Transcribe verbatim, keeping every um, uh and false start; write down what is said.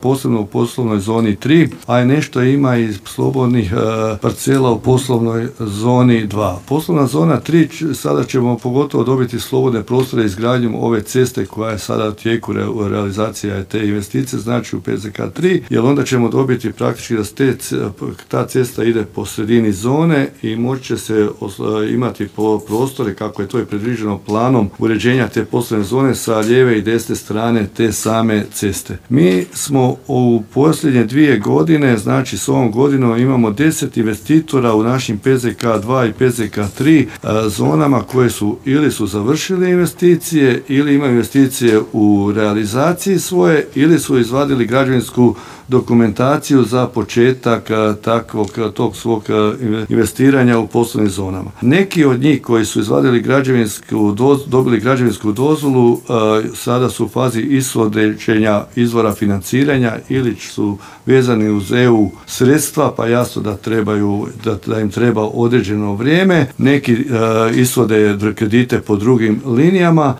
posebno u poslovnoj zoni tri, a nešto ima i slobodnih e, parcela u poslovnoj zoni dva. Poslovna zona tri, sada ćemo pogotovo dobiti slobodne prostore izgradnjom ove ceste koja je sada u tijeku re, realizacija te investicije, znači u P Z K tri, jer onda ćemo dobiti praktički da te, ta cesta ide po sredini zone i moći će se imati po prostore kako je to i predviđeno planom uređenja te poslovne zone sa lijeve i desne strane te same ceste. Mi smo u posljednje dvije godine, znači s ovom godinom imamo deset investitora u našim P Z K dva i P Z K tri zonama koje su ili su završili investicije ili imaju investicije u realizaciji svoje ili su izvadili građevinsku dokumentaciju za početak takvog tog svog investiranja u poslovnim zonama. Neki od njih koji su izvadili građevinsku doz, dobili građevinsku dozvolu sada su u fazi ishođenja izvora financiranja ili su vezani uz E U sredstva, pa jasno da trebaju da, da im treba određeno vrijeme. Neki ishode kredite po drugim linijama,